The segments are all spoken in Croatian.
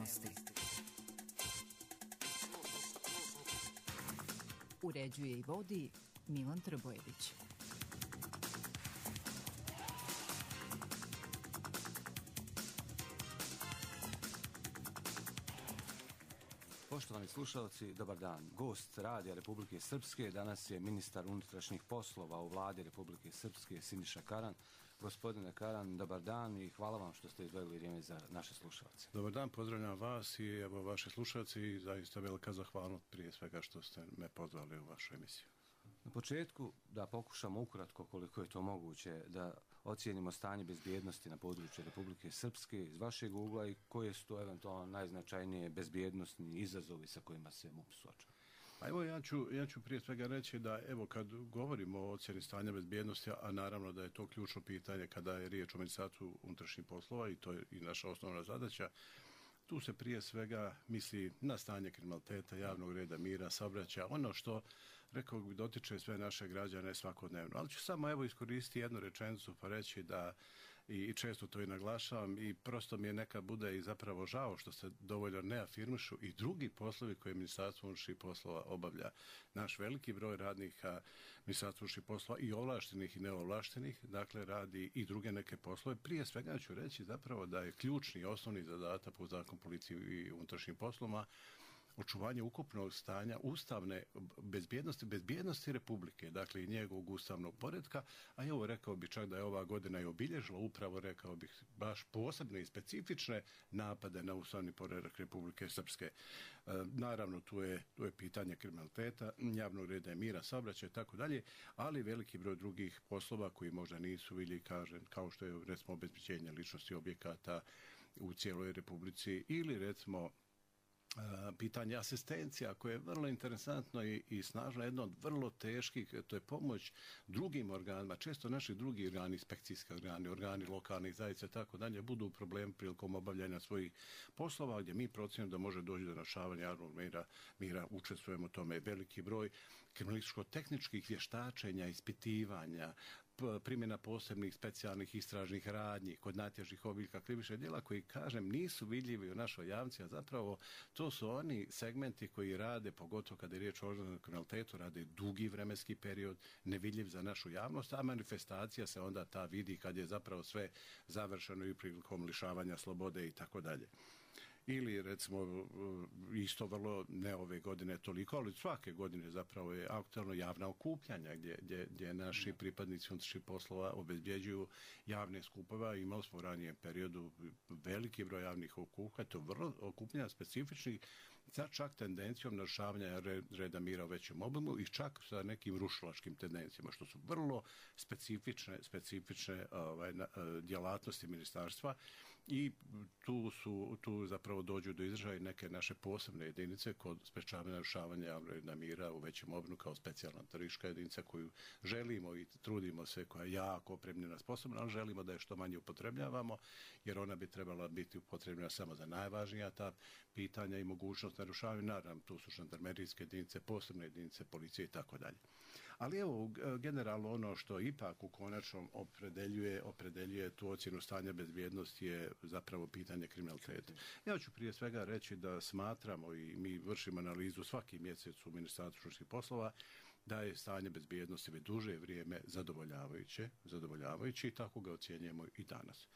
bezbjednosti. Uređuje i vodi Milan Trbojević. Poštovani slušalci, dobar dan. Gost Radija Republike Srpske danas je ministar unutrašnjih poslova u vladi Republike Srpske Siniša Karan. Gospodine Karan, dobar dan i hvala vam što ste izdvojili vrijeme za naše slušalce. Dobar dan, pozdravljam vas i evo vaše slušalci i zaista velika zahvalnost prije svega što ste me pozvali u vašu emisiju. Na početku da pokušamo ukratko koliko je to moguće da ocijenimo stanje bezbjednosti na području Republike Srpske iz vašeg ugla i koje su to eventualno najznačajnije bezbjednosni izazovi sa kojima se MUP suočava. Pa evo ja ću prije svega reći da evo kad govorimo o ocjeni stanja bezbjednosti, a naravno da je to ključno pitanje kada je riječ o Ministarstvu unutrašnjih poslova i to je i naša osnovna zadaća, tu se prije svega misli na stanje kriminaliteta, javnog reda, mira, saobraćaja, ono što, rekao bih, dotiče sve naše građane svakodnevno. Ali ću samo evo iskoristiti jednu rečenicu pa reći da, i često to i naglašavam, i prosto mi je nekad bude i zapravo žao što se dovoljno ne afirmišu i drugi poslovi koje Ministarstvo unutrašnjih poslova obavlja. Naš veliki broj radnika Ministarstva unutrašnjih poslova i ovlaštenih i neovlaštenih, dakle radi i druge neke poslove. Prije svega ću reći zapravo da je ključni i osnovni zadatak po zakonu policiji i unutrašnjim poslovima očuvanje ukupnog stanja ustavne bezbjednosti Republike, dakle i njegovog ustavnog poretka, a evo rekao bih čak da je ova godina i obilježila upravo, rekao bih, baš posebne i specifične napade na ustavni poredak Republike Srpske. Naravno, tu je pitanje kriminaliteta, javnog reda i mira, saobraćaja i tako dalje, ali veliki broj drugih poslova koji možda nisu vidljivi, kažem, kao što je recimo obezbeđenje ličnosti objekata u cijeloj Republici ili recimo pitanje asistencija koje je vrlo interesantno i snažno, jedno od vrlo teških, to je pomoć drugim organima, često naši drugi organi, inspekcijski organi lokalnih zajednica tako dalje, budu u problemu prilikom obavljanja svojih poslova gdje mi procjenjujemo da može doći do narušavanja javnog mira, učestvujemo u tome veliki broj kriminalističko-tehničkih vještačenja, ispitivanja, primjena posebnih specijalnih istražnih radnji kod najtežih oblika krivičnih djela koji, kažem, nisu vidljivi u našoj javnosti, a zapravo to su oni segmenti koji rade, pogotovo kada je riječ o organizovanom kriminalitetu, rade dugi vremenski period, nevidljiv za našu javnost, a manifestacija se onda ta vidi kad je zapravo sve završeno i prilikom lišavanja slobode i tako dalje. Ili recimo isto vrlo, ne ove godine toliko, ali svake godine zapravo je aktualno javna okupljanja gdje naši pripadnici unutrašnjih poslova obezbjeđuju javne skupove. Imali smo u ranijem periodu veliki broj javnih okupljanja, to vrlo okupljanja specifičnih, sa čak tendencijom narušavanja reda mira u većem obimu i čak sa nekim rušilačkim tendencijama, što su vrlo specifične djelatnosti ministarstva i tu zapravo dođu do izražaja neke naše posebne jedinice kod sprečavanja narušavanja javnog reda mira u većem obimu kao specijalna teroristička jedinica koju želimo i trudimo se, koja je jako opremljena, sposobna, ali želimo da je što manje upotrebljavamo, jer ona bi trebala biti upotrebljena samo za najvažnija ta pitanja i mogućnost narušavanja. Naravno, tu su žandarmerijske jedinice, posebne jedinice policije i tako dalje. Ali evo, generalno ono što ipak u konačnom opredeljuje tu ocjenu stanja bezbjednosti je zapravo pitanje kriminaliteta. Ja ću prije svega reći da smatramo i mi vršimo analizu svaki mjesec u Ministarstvu unutrašnjih poslova da je stanje bezbjednosti već duže vrijeme zadovoljavajuće i tako ga ocjenjujemo i danas.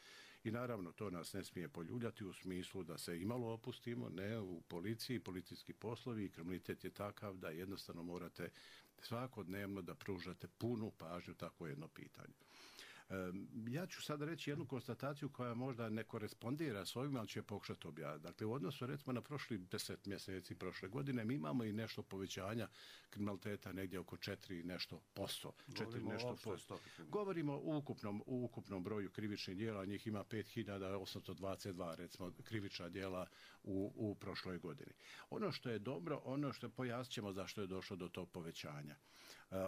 I naravno to nas ne smije poljuljati u smislu da se imalo opustimo, ne, u policiji, policijski poslovi i kriminalitet je takav da jednostavno morate svakodnevno da pružate punu pažnju tako jedno pitanje. Ja ću sad reći jednu konstataciju koja možda ne korespondira s ovim, ali ću je pokušati objaviti. Dakle, u odnosu recimo na prošli 10 mjeseci prošle godine mi imamo i nešto povećanja kriminaliteta negdje oko 4 nešto posto. Govorimo o ukupnom broju krivičnih djela, njih ima 5822 recimo krivična djela u prošloj godini. Ono što je dobro, pojasnit ćemo zašto je došlo do tog povećanja.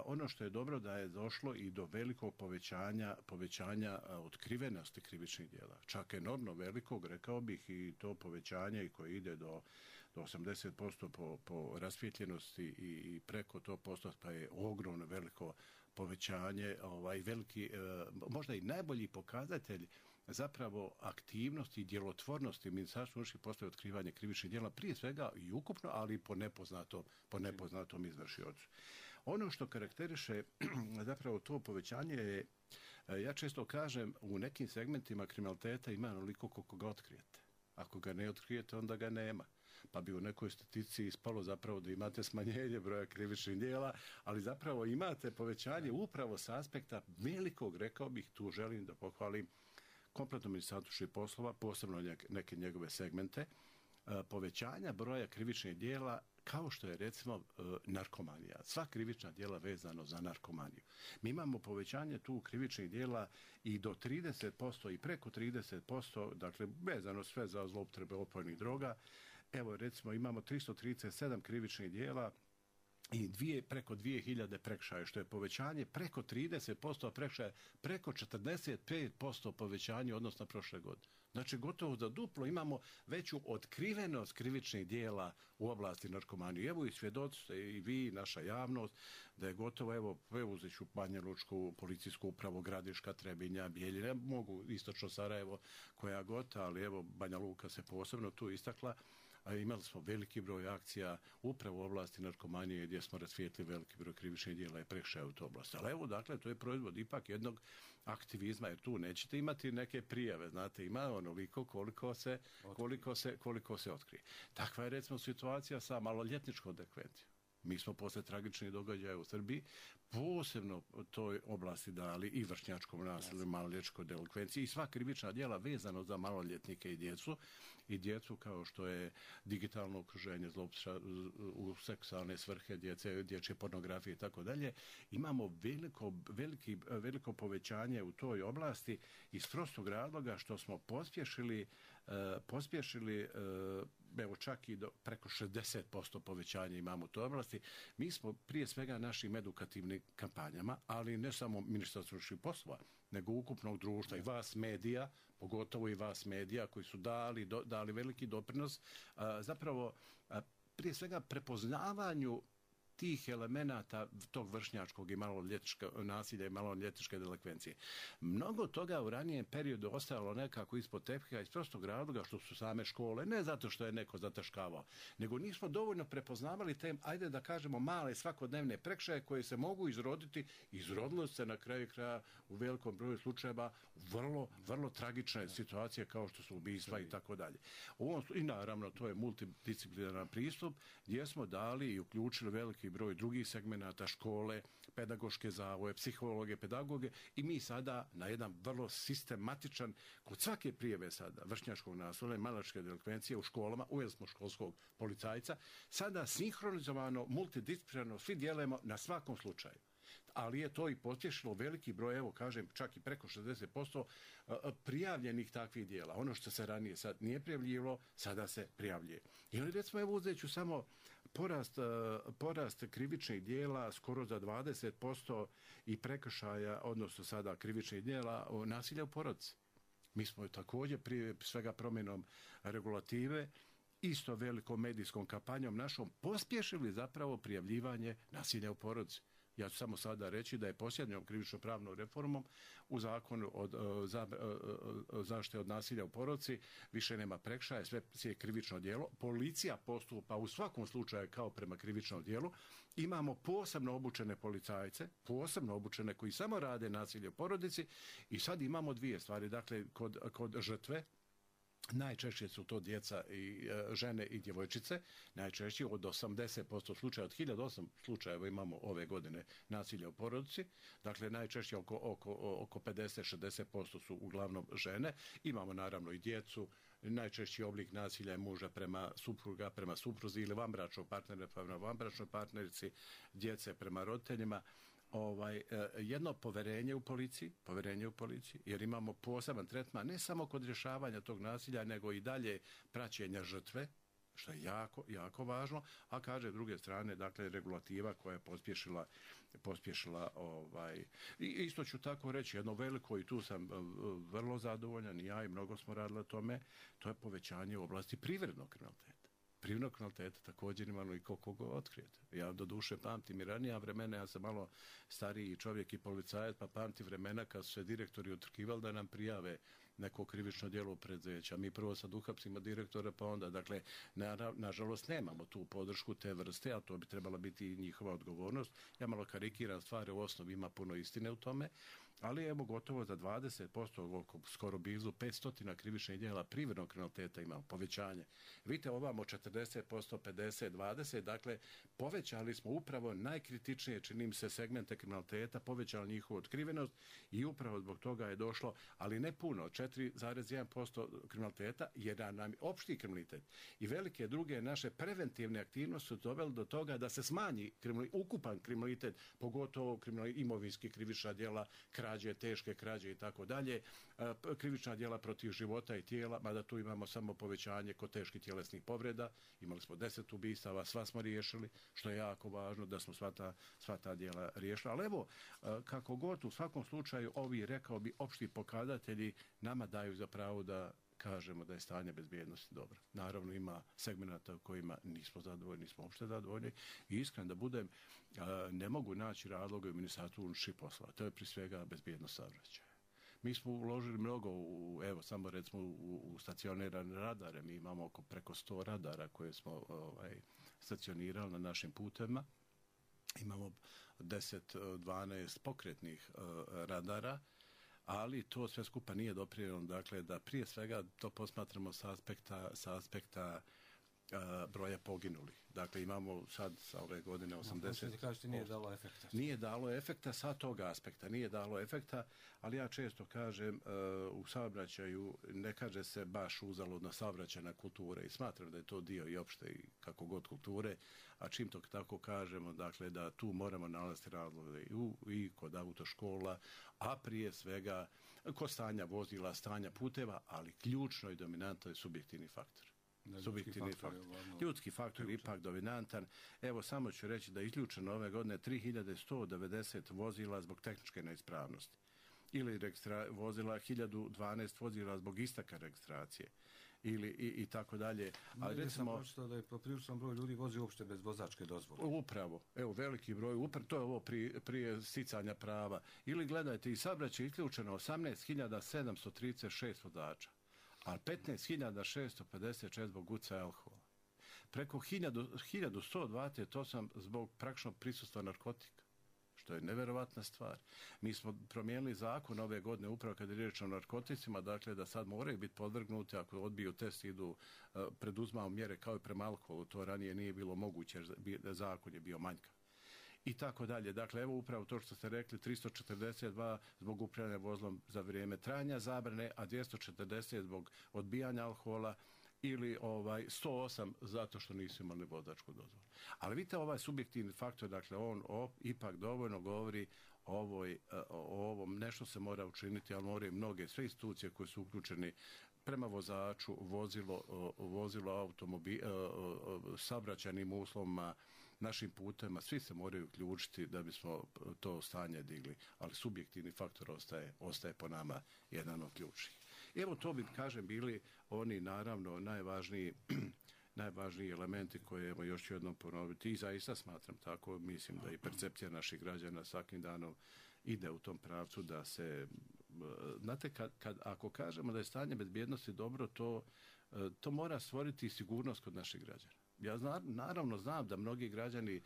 Ono što je dobro da je došlo i do velikog povećanja otkrivenosti krivičnih djela. Čak enormno velikog, rekao bih, i to povećanje i koje ide do 80% po rasvijetljenosti i preko tog postotka je ogromno veliko povećanje, veliki, možda i najbolji pokazatelj zapravo aktivnosti i djelotvornosti Ministarstva unutrašnjih poslova i otkrivanje krivičnih djela, prije svega i ukupno, ali i po nepoznatom izvršiocu. Ono što karakteriše zapravo to povećanje je, ja često kažem, u nekim segmentima kriminaliteta ima onoliko koliko ga otkrijete. Ako ga ne otkrijete, onda ga nema. Pa bi u nekoj statistici ispalo zapravo da imate smanjenje broja krivičnih djela, ali zapravo imate povećanje upravo s aspekta velikog, rekao bih, tu želim da pohvalim kompletno Ministarstvo unutrašnjih poslova, posebno neke njegove segmente, povećanja broja krivičnih djela kao što je recimo narkomanija. Sva krivična djela vezano za narkomaniju. Mi imamo povećanje tu krivičnih djela i do 30% i preko 30%, dakle vezano sve za zloupotrebe opojnih droga. Evo recimo imamo 337 krivičnih djela i preko 2000 prekršaja, što je povećanje preko 30% prekršaja, preko 45% povećanje odnosno prošle godine. Znači gotovo za duplo imamo veću otkrivenost krivičnih djela u oblasti narkomanije. Evo i svjedoci ste i vi, naša javnost, da je gotovo, evo uzet ću Banja Lučku policijsku upravu, Gradiška, Trebinja, Bijeljina, mogu istočno Sarajevo koja god, ali evo Banja Luka se posebno tu istakla. A imali smo veliki broj akcija upravo u oblasti narkomanije gdje smo rasvijetli veliki broj krivičnih djela i prekršaja u toj oblasti. Ali evo, dakle, to je proizvod ipak jednog aktivizma, jer tu nećete imati neke prijave, znate, ima onoliko koliko se otkrije. Takva je recimo situacija sa maloljetničkom delikvencijom. Mi smo posle tragičnih događaja u Srbiji posebno toj oblasti dali i vršnjačkom nasilju, maloljetničkoj delikvenciji i sva krivična djela vezano za maloljetnike i djecu kao što je digitalno okruženje, u seksualne svrhe dječje pornografije i tako dalje. Imamo veliko povećanje u toj oblasti iz prostog razloga što smo pospješili evo čak i do preko 60% povećanja imamo u toj oblasti. Mi smo prije svega našim edukativnim kampanjama, ali ne samo Ministarstvo unutrašnjih poslova, nego ukupnog društva i vas medija, pogotovo i vas medija koji su dali veliki doprinos zapravo prije svega prepoznavanju tih elemenata tog vršnjačkog i maloljetničkog nasilja i maloljetničke delikvencije. Mnogo toga u ranijem periodu ostajalo nekako ispod tepiha iz prostog razloga što su same škole, ne zato što je neko zataškavao, nego nismo dovoljno prepoznavali te, ajde da kažemo, male svakodnevne prekršaje koje se mogu izroditi. Izrodilo se na kraju kraja u velikom broju slučajeva vrlo tragične situacije kao što su ubistva i tako dalje. I naravno to je multidisciplinaran pristup gdje smo dali i uključili veliki broj drugih segmenata, škole, pedagoške zavoje, psihologe, pedagoge i mi sada na jedan vrlo sistematičan, kod svake prijave sada vršnjačkog nasilja i maloljetničke delikvencije u školama, uveli smo školskog policajca, sada sinhronizovano, multidisciplinarno svi djelujemo na svakom slučaju. Ali je to i pospješilo veliki broj, evo kažem, čak i preko 60% prijavljenih takvih djela. Ono što se ranije sad nije prijavljivalo, sada se prijavljuje. I oni recimo, evo uzet ću samo porast krivičnih djela skoro za 20% i prekršaja, odnosno sada krivičnih djela nasilja u porodici. Mi smo također prije svega promjenom regulative isto velikom medijskom kampanjom našom pospješili zapravo prijavljivanje nasilja u porodici. Ja ću samo sada reći da je posljednjom krivično-pravnom reformom u zakonu o zaštiti od nasilja u porodici više nema prekršaja, sve je krivično djelo. Policija postupa u svakom slučaju kao prema krivičnom djelu. Imamo posebno obučene policajce, posebno obučene koji samo rade nasilje u porodici i sad imamo dvije stvari. Dakle, kod žrtve, najčešće su to djeca i žene i djevojčice, najčešće od 80% slučaja, od 1008 slučajeva imamo ove godine nasilja u porodici, dakle najčešće oko 50-60% su uglavnom žene, imamo naravno i djecu, najčešći oblik nasilja je muža prema supruga, prema supruzi ili vanbračnog partnera prema vanbračnoj partnerici, djece prema roditeljima. Jedno povjerenje u policiji, jer imamo poseban tretman ne samo kod rješavanja tog nasilja, nego i dalje praćenja žrtve, što je jako važno, a kaže s druge strane, dakle, regulativa koja je pospješila i isto ću tako reći, jedno veliko, i tu sam vrlo zadovoljan, i ja i mnogo smo radili o tome, to je povećanje u oblasti privrednog kriminaliteta. Privrednog kriminaliteta također imamo i koliko ga otkrijete. Ja do duše pamtim i ranija vremena, ja sam malo stariji čovjek i policajac, pa pamtim vremena kad su se direktori utrkivali da nam prijave neko krivično djelo preduzeća. Mi prvo sad uhapsimo direktora, pa onda, dakle, nažalost nemamo tu podršku te vrste, a to bi trebala biti i njihova odgovornost. Ja malo karikiram stvari, u osnovi ima puno istine u tome, ali evo gotovo za 20%, skoro blizu 500 krivičnih djela privrednog kriminaliteta imamo povećanje. Vidite, ovamo 40%, 50, 20, dakle, povećali smo upravo najkritičnije, čini mi se, segmente kriminaliteta, povećali njihovu otkrivenost i upravo zbog toga je došlo, ali ne puno, 4,1% kriminaliteta, jer nam opšti kriminalitet i velike druge naše preventivne aktivnosti su doveli do toga da se smanji ukupan kriminalitet, pogotovo imovinski krivična djela, krađe, teške krađe i tako dalje, krivična djela protiv života i tijela, mada tu imamo samo povećanje kod teških tjelesnih povreda, imali smo 10 ubistava, sva smo riješili, što je jako važno da smo sva ta djela riješili. Ali evo, kako god, u svakom slučaju, ovi, rekao bi, opšti pokazatelji nama daju za pravo da kažemo da je stanje bezbjednosti dobro. Naravno, ima segmenata u kojima nismo zadovoljni, nismo uopšte zadovoljni i iskreno da budem, ne mogu naći razloga u Ministarstvu unutrašnjih poslova. To je prije svega bezbjednost saobraćaja. Mi smo uložili mnogo, evo samo recimo u stacionirane radare, mi imamo preko 100 radara koje smo stacionirali na našim putevima. Imamo 10-12 pokretnih radara, ali to sve skupa nije doprinijelo, dakle, da prije svega to posmatramo sa aspekta broja poginulih. Dakle, imamo sad sa ove godine 80... Kažete, nije dalo efekta. Nije dalo efekta sa tog aspekta, nije dalo efekta, ali ja često kažem, u saobraćaju ne kaže se baš uzaludna saobraćajna kultura i smatram da je to dio i opšte i kako god kulture, a čim to tako kažemo, dakle, da tu moramo nalaziti razloge i kod autoškola, a prije svega kod stanja vozila, stanja puteva, ali ključno i dominantno je subjektivni faktor. Ljudski faktor je ipak dominantan. Evo, samo ću reći da je isključeno ove godine 3190 vozila zbog tehničke neispravnosti ili vozila 1012 vozila zbog isteka registracije ili i tako dalje. Ali recimo sam da je popriličan broj ljudi vozi uopšte bez vozačke dozvole. Upravo, evo veliki broj, to je ovo prije sticanja prava. Ili gledajte, i saobraćaj je isključeno 18.736 vozača, a 15.656 zbog gucaja alkohola. Preko 1128 zbog praktičnog prisustva narkotika, što je neverovatna stvar. Mi smo promijenili zakon ove godine upravo kad je riječ o narkoticima, dakle da sad moraju biti podvrgnuti, ako odbiju test, idu, preduzmao mjere kao i prema alkoholu, to ranije nije bilo moguće, jer zakon je bio manjkav. I tako dalje. Dakle, evo upravo to što ste rekli, 342 zbog upravljanja vozilom za vrijeme trajanja zabrane, a 240 zbog odbijanja alkohola ili 108 zato što nisu imali vozačku dozvolu. Ali vidite, ovaj subjektivni faktor, dakle, on ipak dovoljno govori o ovom, nešto se mora učiniti, ali moraju mnoge, sve institucije koje su uključeni prema vozaču, vozilo automobil, saobraćajnim uslovima, našim putem, svi se moraju uključiti da bismo to stanje digli, ali subjektivni faktor ostaje po nama jedan od ključnih. Evo, to bi, kažem, bili oni naravno najvažniji elementi koje, evo, još ću jednom ponoviti, i zaista smatram tako, mislim da i percepcija naših građana svakim danom ide u tom pravcu da se, znate, ako kažemo da je stanje bezbjednosti dobro, to mora stvoriti sigurnost kod naših građana. Ja naravno znam da mnogi građani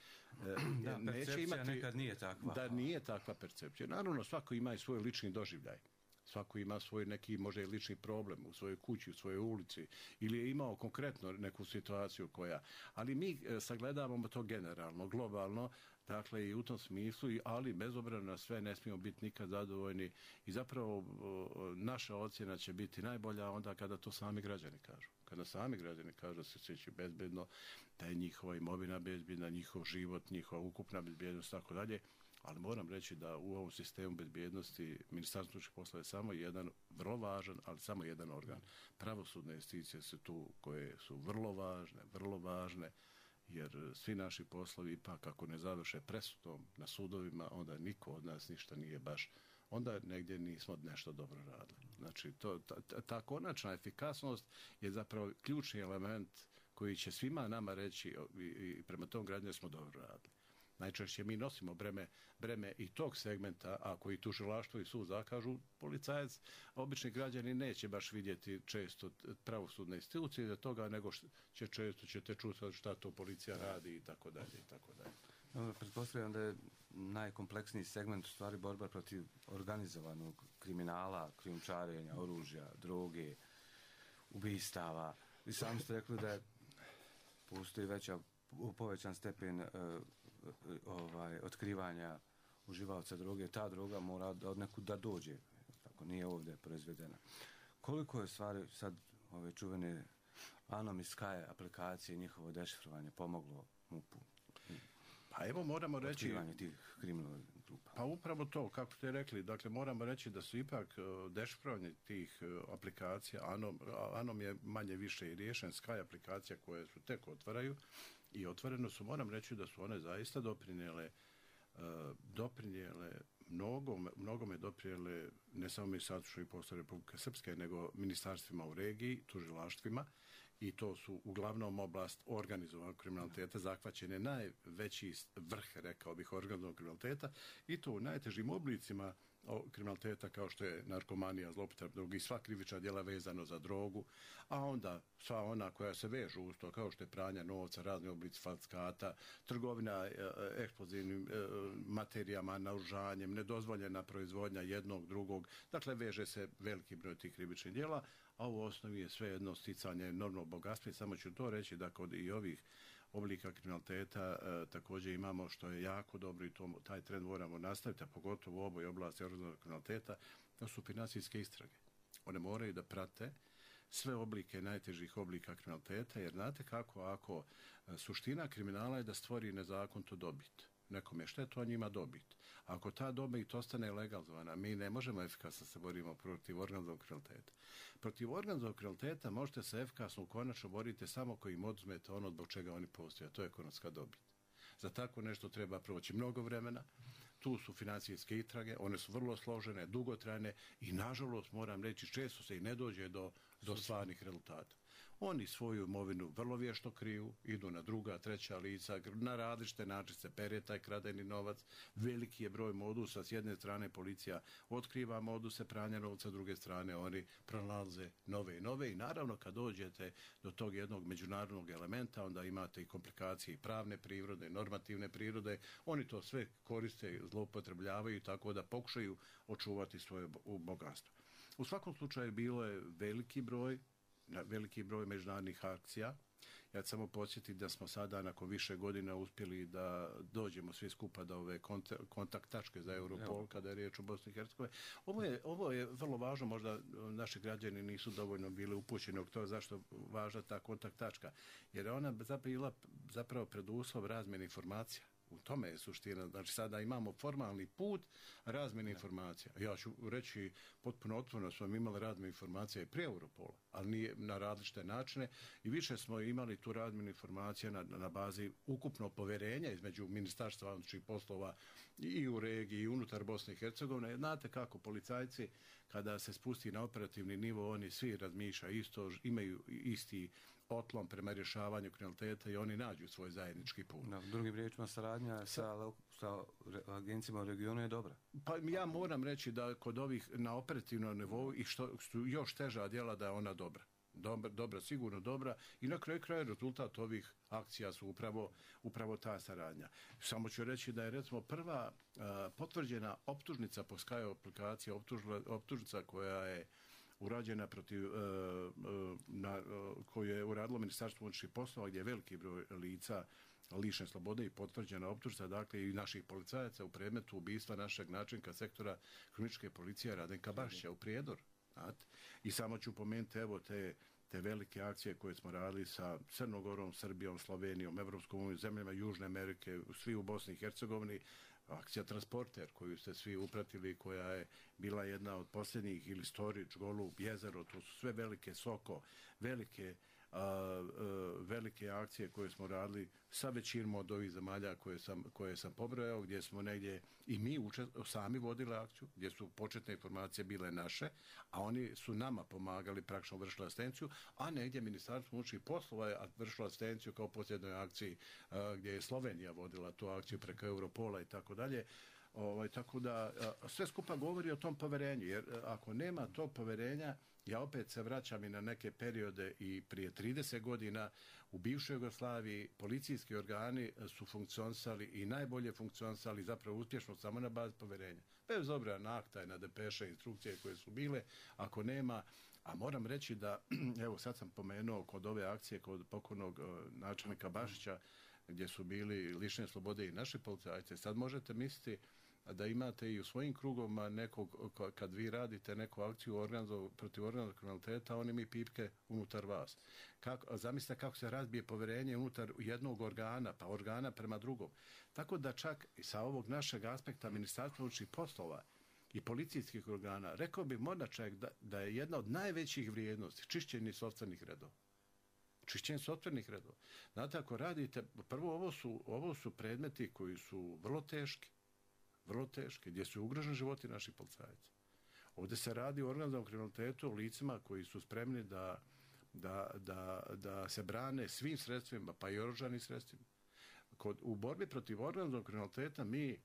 neće imati... nekad nije takva. Da nije takva percepcija. Naravno, svako ima i svoj lični doživljaj. Svako ima svoj neki, možda i lični problem u svojoj kući, u svojoj ulici, ili je imao konkretno neku situaciju koja... Ali mi sagledavamo to generalno, globalno, dakle i u tom smislu, ali bez obzira na sve ne smijemo biti nikad zadovoljni i zapravo naša ocjena će biti najbolja onda kada to sami građani kažu. Kada sami građani kažu da se osjećaju bezbedno, da je njihova imovina bezbjedna, njihov život, njihova ukupna bezbjednost, tako dalje. Ali moram reći da u ovom sistemu bezbjednosti Ministarstvo unutrašnjih poslova je samo jedan, vrlo važan, ali samo jedan organ. Pravosudne institucije su tu koje su vrlo važne, jer svi naši poslovi ipak ako ne završe presudom na sudovima, onda niko od nas ništa nije baš, onda negdje nismo nešto dobro radili. Znači, ta konačna efikasnost je zapravo ključni element koji će svima nama reći i prema tom građanima smo dobro radili. najčešće mi nosimo breme i tog segmenta, ako i tužilaštvo i sud zakažu, policajac, obični građani neće baš vidjeti često pravosudne institucije za toga, nego ćete čuti šta to policija radi i tako dalje i tako dalje. Pretpostavljam da je najkompleksniji segment u stvari borba protiv organizovanog kriminala, krijumčarenja, oružja, droge, ubistava. I sami ste rekli da postoji povećan stepen otkrivanja uživaoca droge. Ta droga mora od nekud da dođe, tako nije ovdje proizvedena. Koliko je stvari sad ove čuvene Anom i Sky aplikacije i njihovo dešifrovanje pomoglo MUP-u? Pa evo moramo reći... Otkrivanje tih kriminalnih grupa. Pa upravo to, kako ste rekli, dakle moramo reći da su ipak dešifrovanje tih aplikacija, Anom je manje više i riješen, Sky aplikacija koje su tek otvaraju i otvoreno su, moram reći da su one zaista doprinijele mnogome doprinijele ne samo Ministarstvu poslova Republike Srpske, nego ministarstvima u regiji, tužilaštvima, i to su uglavnom oblast organizovanog kriminaliteta, zahvaćen najveći vrh, rekao bih, organizovanog kriminaliteta, i to u najtežim oblicima kriminaliteta kao što je narkomanija, zloupotreba droge i sva krivična djela vezano za drogu, a onda sva ona koja se vežu uz to, kao što je pranja novca, razni oblici falsifikata, trgovina eksplozivnim materijama, naoružanjem, nedozvoljena proizvodnja jednog, drugog, dakle veže se veliki broj tih krivičnih djela, a u osnovi je sve jedno sticanje enormnog bogatstva. I samo ću to reći da kod i ovih oblika kriminaliteta također imamo, što je jako dobro i taj trend moramo nastaviti, a pogotovo u ovoj oblasti organizovanog kriminaliteta, to su financijske istrage. One moraju da prate sve oblike najtežih oblika kriminaliteta, jer znate kako, ako suština kriminala je da stvori nezakonito dobit. Nekom je štetu, a njima dobit. Ako ta dobit ostane legalizovana, mi ne možemo efikasno se borimo protiv organizovanog kriminaliteta. Protiv organizovanog kriminaliteta možete se efikasno konačno boriti samo ako im oduzmete ono zbog čega oni postoje, a to je ekonomska dobit. Za tako nešto treba proći mnogo vremena. Tu su financijske istrage, one su vrlo složene, dugotrajne i nažalost moram reći često se i ne dođe do stvarnih rezultata. Oni svoju imovinu vrlo vješto kriju, idu na druga, treća lica, na različite načine se pere taj kradeni novac, veliki je broj modusa, s jedne strane policija otkriva moduse pranja novca, s druge strane oni pronalaze nove i nove i naravno kad dođete do tog jednog međunarodnog elementa, onda imate i komplikacije i pravne prirode, normativne prirode, oni to sve koriste, zloupotrebljavaju tako da pokušaju očuvati svoje bogatstvo. U svakom slučaju bilo je veliki broj međunarodnih akcija. Ja ću samo podsjetiti da smo sada nakon više godina uspjeli da dođemo svi skupa do ove kontakt tačke za Europol kada je riječ o Bosni i Hercegovini. Ovo je vrlo važno, možda naši građani nisu dovoljno bili upućeni od toga zašto važna ta kontakt tačka, jer je ona zapravo preduslov razmjene informacija. U tome je suština. Znači sada imamo formalni put razmjene informacija. Ja ću reći potpuno otvoreno, smo imali razmjenu informacija i prije Europola, ali nije na različite načine i više smo imali tu razmjenu informacija na bazi ukupno povjerenja između Ministarstva unutrašnjih poslova i u regiji i unutar Bosne i Hercegovine. Znate kako policajci kada se spusti na operativni nivo, oni svi razmišljaju isto, imaju isti otlom prema rješavanju kriminaliteta i oni nađu svoj zajednički put. Na drugim riječima saradnja sa agencijama u regionu je dobra. Pa ja moram reći da kod ovih na operativnom nivou i što su još teža djela da je ona dobra. Dobra, sigurno dobra i na kraju kraja rezultat ovih akcija su upravo ta saradnja. Samo ću reći da je recimo prva potvrđena optužnica po Sky aplikaciji, optužnica koja je urađena koju je uradilo Ministarstvo unutrašnjih poslova gdje je veliki broj lica lišene slobode i potvrđena optužnica, dakle i naših policajaca u predmetu ubistva našeg načelnika sektora kriminalističke policije Radenka Bašića u Prijedoru. I samo ću pomenuti evo te velike akcije koje smo radili sa Crnogorom, Srbijom, Slovenijom, Evropskom unijom, zemljama Južne Amerike, svi u Bosni i Hercegovini, akcija Transporter koju ste svi upratili, koja je bila jedna od posljednjih, ili Storić, Golub, Jezero, to su sve velike Soko, velike velike akcije koje smo radili sa većinom od ovih zemalja koje sam pobrojao, gdje smo negdje i mi sami vodili akciju, gdje su početne informacije bile naše, a oni su nama pomagali, praktično vršili asistenciju, a negdje Ministarstvo unutrašnjih poslova je vršilo asistenciju kao posljednoj akciji gdje je Slovenija vodila tu akciju preko Europola i tako dalje. Tako da sve skupa govori o tom poverenju, jer ako nema tog poverenja, ja opet se vraćam i na neke periode i prije 30 godina u bivšoj Jugoslaviji policijski organi su funkcionisali i najbolje funkcionisali zapravo uspješno samo na bazi poverenja. Bez obzira na akta i na depeše, instrukcije koje su bile, ako nema, a moram reći da, evo sad sam pomenuo kod ove akcije, kod pokojnog načelnika Bašića, gdje su bili lišeni slobode i naši policajci, sad možete misliti da imate i u svojim krugovima nekog, kad vi radite neku akciju protiv organizovanog kriminaliteta, oni mi pipke unutar vas. Zamislite kako se razbije poverenje unutar jednog organa, pa organa prema drugom. Tako da čak i sa ovog našeg aspekta Ministarstva unutrašnjih poslova i policijskih organa, rekao bih možda čak da je jedna od najvećih vrijednosti čišćenje sopstvenih redova. Čišćenje sopstvenih redova. Znate, ako radite, prvo ovo su predmeti koji su vrlo teški, gdje su ugroženi životi naših policajaca. Ovdje se radi o organizovanom kriminalitetu, o licima koji su spremni da se brane svim sredstvima, pa i oružanim sredstvima. U borbi protiv organizovanog kriminaliteta mi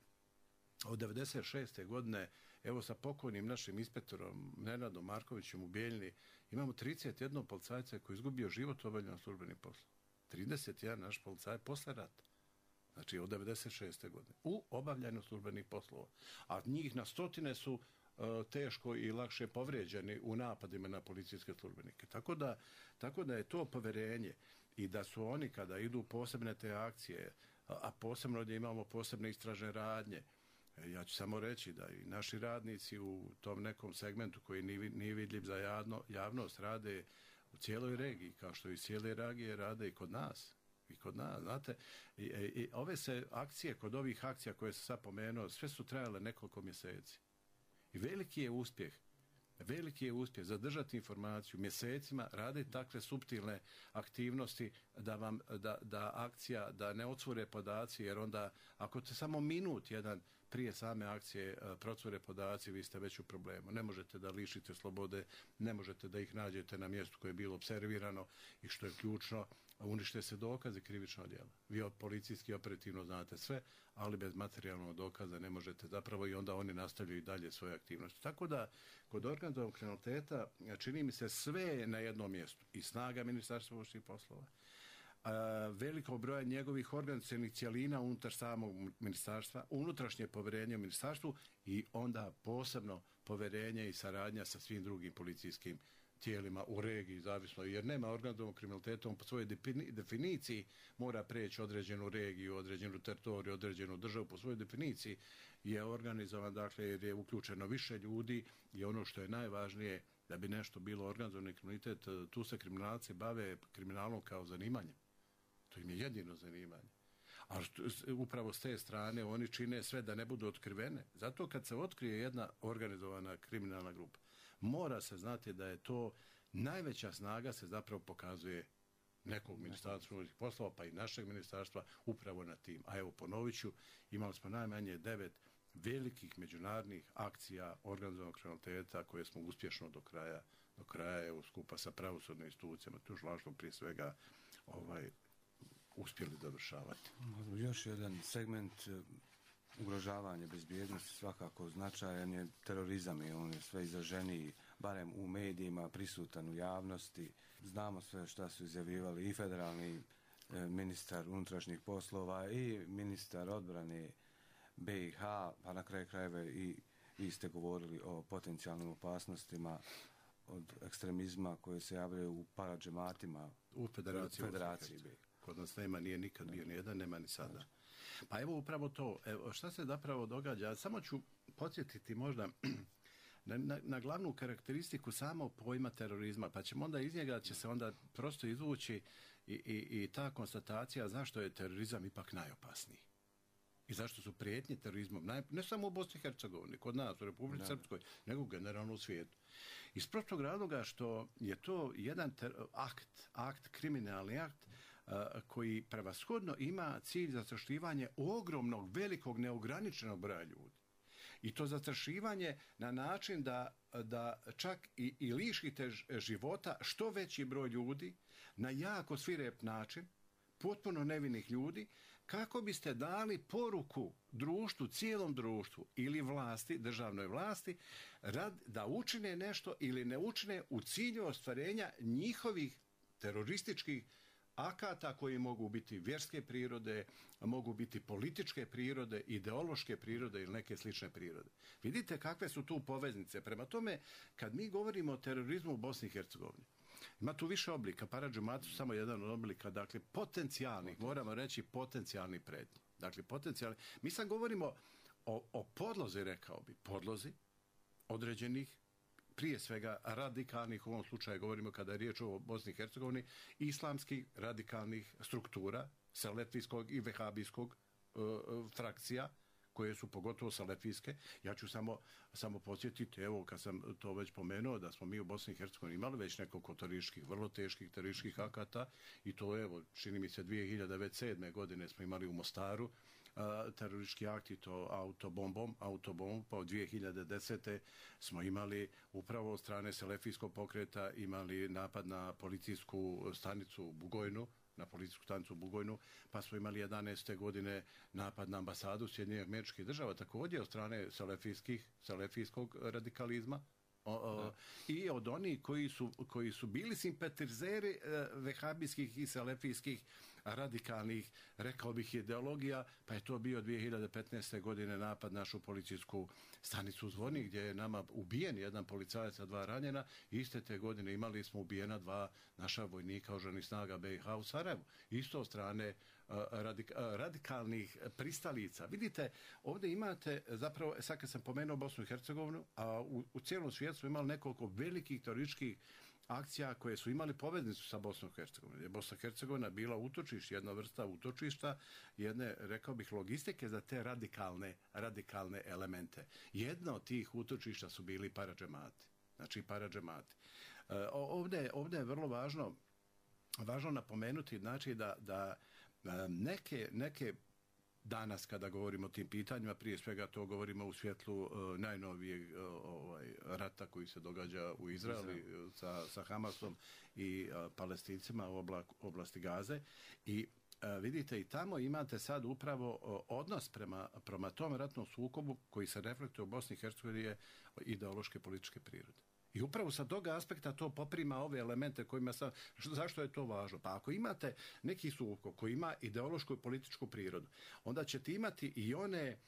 od 1996. godine, evo sa pokojnim našim inspektorom Nenadom Markovićem u Bijeljni, imamo 31 policajca koji je izgubio život u obavljanju službenih poslova. 31 naš policaj posle rata. Znači od 1996. godine, u obavljanju službenih poslova. A njih na stotine su teško i lakše povrijeđeni u napadima na policijske službenike. Tako da je to poverenje i da su oni kada idu posebne te akcije, a posebno gdje imamo posebne istražne radnje, ja ću samo reći da i naši radnici u tom nekom segmentu koji nije vidljiv za javnost rade u cijeloj regiji, kao što i cijele regije rade i kod nas. Znate, i ove se akcije, kod ovih akcija koje sam sad pomenuo, sve su trajale nekoliko mjeseci. I veliki je uspjeh zadržati informaciju mjesecima, raditi takve suptilne aktivnosti da akcija, da ne otvore podaci, jer onda ako te samo minut jedan prije same akcije procure podaci, vi ste već u problemu. Ne možete da lišite slobode, ne možete da ih nađete na mjestu koje je bilo observirano i što je ključno, unište se dokaze krivičnog djela. Vi policijski operativno znate sve, ali bez materijalnog dokaza ne možete zapravo i onda oni nastavljaju i dalje svoje aktivnosti. Tako da, kod organizovanog kriminaliteta čini mi se sve na jednom mjestu. I snaga Ministarstva unutrašnjih poslova, veliko broja njegovih organizacionih cjelina unutar samog ministarstva, unutrašnje poverenje u ministarstvu i onda posebno poverenje i saradnja sa svim drugim policijskim tijelima u regiji, zavisno, jer nema organizovanog kriminaliteta, on po svojoj definiciji mora preći određenu regiju, određenu teritoriju, određenu državu, po svojoj definiciji je organizovan, dakle, jer je uključeno više ljudi i ono što je najvažnije, da bi nešto bilo organizovani kriminalitet, tu se kriminalci bave kriminalom kao zanimanjem. To im je jedino zanimanje. A upravo s te strane oni čine sve da ne budu otkrivene. Zato kad se otkrije jedna organizovana kriminalna grupa, mora se znati da je to najveća snaga se zapravo pokazuje nekog ministarstva unutrašnjih poslova, pa i našeg ministarstva upravo na tim. A evo, ponovit ću, imali smo najmanje 9 velikih međunarodnih akcija organizovanog kriminaliteta koje smo uspješno do kraja evo, skupa sa pravosudnim institucijama, tužilaštvom prije svega, uspjeli dovršavati. Još jedan segment ugrožavanja bezbjednosti svakako značajan je terorizam i on je sve izraženiji, barem u medijima, prisutan u javnosti. Znamo sve šta su izjavljivali i federalni ministar unutrašnjih poslova i ministar odbrane BiH, pa na kraju krajeva i vi ste govorili o potencijalnim opasnostima od ekstremizma koje se javljaju u paradžematima u federaciji. Kod nas nema, nije nikad bio ni jedan, nema ni sada. Pa evo upravo to. Evo, šta se zapravo događa? Samo ću podsjetiti možda na glavnu karakteristiku samog pojma terorizma, pa ćemo onda iz njega će se onda prosto izvući i ta konstatacija zašto je terorizam ipak najopasniji. I zašto su prijetnje terorizmom, ne samo u Bosni i Hercegovini, kod nas, u Republici Srpskoj, nego generalno u svijetu. Iz prostog razloga što je to jedan kriminalni akt, koji prevashodno ima cilj zastrašivanje ogromnog, velikog, neograničenog broja ljudi. I to zastrašivanje na način da čak i lišite života što veći broj ljudi na jako svirep način, potpuno nevinih ljudi, kako biste dali poruku društvu, cijelom društvu ili vlasti, državnoj vlasti, da učine nešto ili ne učine u cilju ostvarenja njihovih terorističkih akata koji mogu biti vjerske prirode, mogu biti političke prirode, ideološke prirode ili neke slične prirode. Vidite kakve su tu poveznice. Prema tome, kad mi govorimo o terorizmu u Bosni i Hercegovini, ima tu više oblika. Parad džemati su samo jedan od oblika, dakle potencijalnih, moramo reći potencijalni prednji. Dakle, potencijalni. Mi sad govorimo o podlozi, rekao bi, podlozi određenih, prije svega radikalnih, u ovom slučaju govorimo kada je riječ o Bosni i Hercegovini, islamskih radikalnih struktura, selefijskog i vehabijskog frakcija, koje su pogotovo salefijske. Ja ću samo podsjetiti, evo kad sam to već pomenuo, da smo mi u Bosni i Hercegovini imali već nekoliko terorističkih, vrlo teških terorističkih akata i to evo, čini mi se 2007. godine smo imali u Mostaru teroristički akt i to autobombom, pa od 2010. smo imali upravo od strane selefijskog pokreta imali napad na policijsku stanicu u Bugojnu, na policijsku stanicu u Bugojnu, pa smo imali 11. godine napad na ambasadu Sjedinjenih Američkih Država, također od strane selefijskog radikalizma. I od onih koji su bili simpatizeri vehabijskih i selefijskih radikalnih, rekao bih, ideologija, pa je to bio 2015. godine napad našu policijsku stanicu u Zvornik, gdje je nama ubijen jedan policajac, a 2 ranjena. Iste te godine imali smo ubijena 2 naša vojnika oružanih snaga BiH u Sarajevu. Isto od strane radikalnih pristalica. Vidite, ovdje imate, zapravo, sad kad sam pomenuo Bosnu i Hercegovinu, a u cijelom svijetu smo imali nekoliko velikih terorističkih akcija koje su imali poveznicu sa Bosnom i Hercegovinom. Bosna i Hercegovina bila utočište, jedna vrsta utočišta, jedne, rekao bih, logistike za te radikalne elemente. Jedna od tih utočišta su bili paradžemati. Znači, paradžemati. Ovdje je vrlo važno napomenuti, znači, da neke danas kada govorimo o tim pitanjima, prije svega to govorimo u svjetlu najnovijeg rata koji se događa u Izraelu sa Hamasom i Palestincima u oblasti Gaze. I vidite, i tamo imate sad upravo odnos prema tom ratnom sukobu koji se reflektuje u Bosni i Hercegovini je ideološke političke prirode. I upravo sa tog aspekta to poprima ove elemente kojima sam... Zašto je to važno? Pa ako imate neki sukob koji ima ideološku i političku prirodu, onda ćete imati i one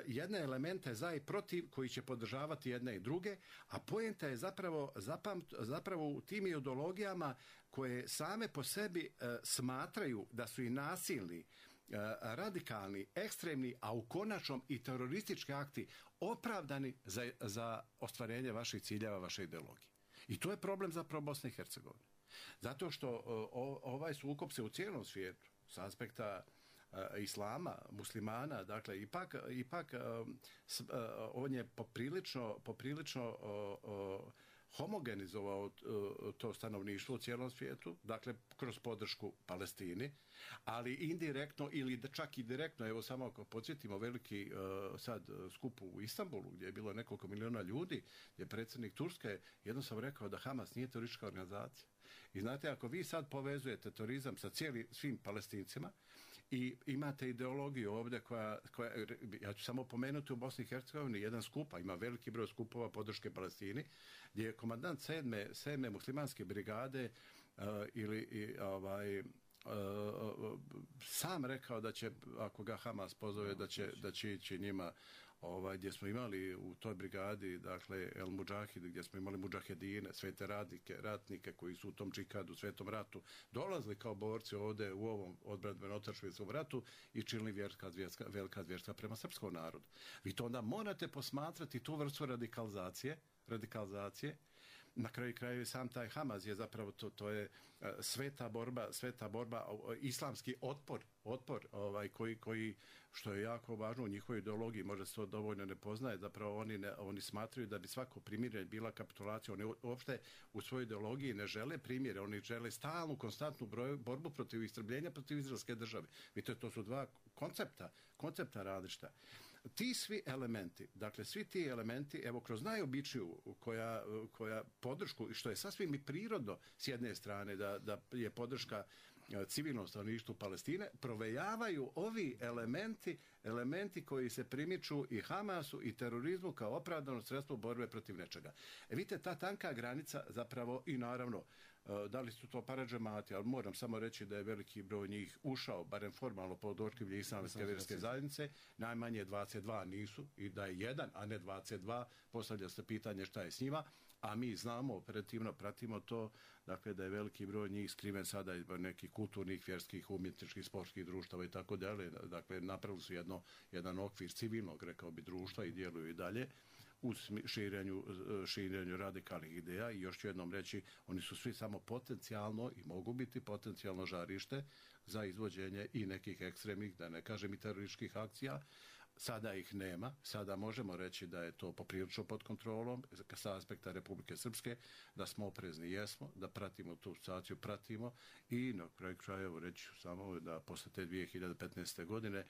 jedne elemente za i protiv koji će podržavati jedne i druge, a poenta je zapravo u tim ideologijama koje same po sebi smatraju da su i nasilni, radikalni, ekstremni, a u konačnom i teroristički akti opravdani za ostvarenje vaših ciljeva, vaše ideologije. I to je problem zapravo Bosne i Hercegovine. Zato što ovaj sukob se u cijelom svijetu s aspekta islama, muslimana, dakle ipak on je poprilično homogenizovao to stanovništvo u cijelom svijetu, dakle kroz podršku Palestini, ali indirektno ili čak i direktno, evo samo ako podsjetimo veliki sad skup u Istanbulu gdje je bilo nekoliko miliona ljudi, gdje je predsjednik Turske jednostavno rekao da Hamas nije teroristička organizacija. I znate, ako vi sad povezujete terorizam sa svim Palestincima i imate ideologiju ovdje koja, ja ću samo pomenuti u Bosni i Hercegovini jedan skup, ima veliki broj skupova podrške Palestini, gdje je komandant 7. muslimanske brigade sam rekao da će, ako ga Hamas pozove, da će ići njima, gdje smo imali u toj brigadi, dakle El Mudžahid, gdje smo imali mudžahedine, svete ratnike koji su u tom džihadu, svetom ratu, dolazili kao borci ovdje u ovom odbrambeno-otadžbinskom ratu i činili velika zvjerstva prema srpskom narodu. Vi to onda morate posmatrati tu vrstu radikalizacije na kraju krajeva sam taj Hamas je zapravo to je sveta borba, islamski otpor koji što je jako važno u njihovoj ideologiji, možda se to dovoljno ne poznaje, zapravo oni smatraju da bi svako primirje bila kapitulacija. Oni uopšte u svojoj ideologiji ne žele primirje, oni žele stalnu, konstantnu borbu protiv istrebljenja, protiv izraelske države. Vidite, to su dva koncepta različita. Ti svi elementi, dakle svi ti elementi, evo kroz najobičniju koja podršku, što je sasvim i prirodno s jedne strane da je podrška civilnom stanovništvu Palestine, provejavaju ovi elementi koji se primiču i Hamasu i terorizmu kao opravdano sredstvo borbe protiv nečega. Vidite, ta tanka granica zapravo i naravno da li su to paradžemati, ali moram samo reći da je veliki broj njih ušao, barem formalno pod otkrilje islamske vjerske zajednice, najmanje 22 nisu i da je jedan, a ne 22, postavlja se pitanje šta je s njima, a mi znamo, operativno pratimo to, dakle da je veliki broj njih skriven sada iz nekih kulturnih, vjerskih, umjetničkih, sportskih društava i tako dalje, dakle napravili su jedan okvir civilnog, rekao bi, društva i djeluju i dalje u širenju radikalnih ideja i još ću jednom reći, oni su svi samo potencijalno i mogu biti potencijalno žarište za izvođenje i nekih ekstremnih, da ne kažem i terorističkih akcija. Sada ih nema, sada možemo reći da je to poprilično pod kontrolom sa aspekta Republike Srpske, da smo oprezni, jesmo, da pratimo tu situaciju, i na kraju krajeva reći samo da posle te 2015. godine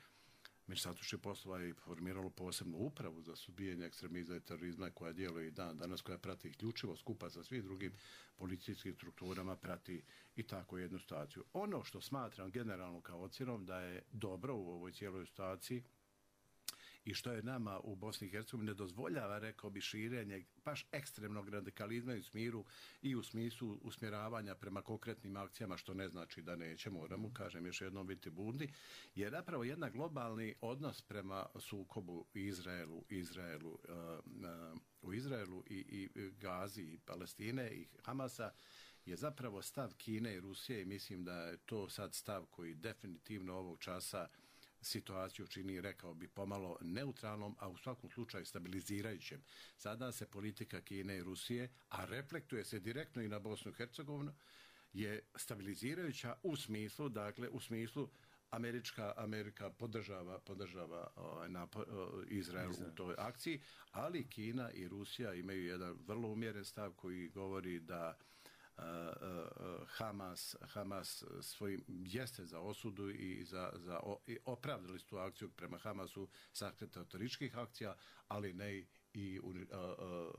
Ministarstvo unutrašnjih poslova je formiralo posebnu upravu za suzbijanje ekstremizma i terorizma koja djeluje i danas, koja prati isključivo skupa sa svim drugim policijskim strukturama, prati i tako jednu situaciju. Ono što smatram generalno kao ocjenom da je dobro u ovoj cijeloj situaciji i što je nama u Bosni i Hercegovini ne dozvoljava, rekao bi, širenje baš ekstremnog radikalizma i u smislu usmjeravanja prema konkretnim akcijama, što ne znači da neće, moramo, kažem još jednom, biti budni, je napravo jedan globalni odnos prema sukobu u Izraelu i Gazi i Palestine i Hamasa je zapravo stav Kine i Rusije i mislim da je to sad stav koji definitivno ovog časa situaciju čini, rekao bi, pomalo neutralnom, a u svakom slučaju stabilizirajućem. Sada se politika Kine i Rusije, a reflektuje se direktno i na Bosnu i Hercegovinu, je stabilizirajuća u smislu Amerika podržava Izrael u toj akciji, ali Kina i Rusija imaju jedan vrlo umjeren stav koji govori da Hamas svojim jeste za osudu i opravdali su tu akciju prema Hamasu sa terorističkih akcija, ali ne i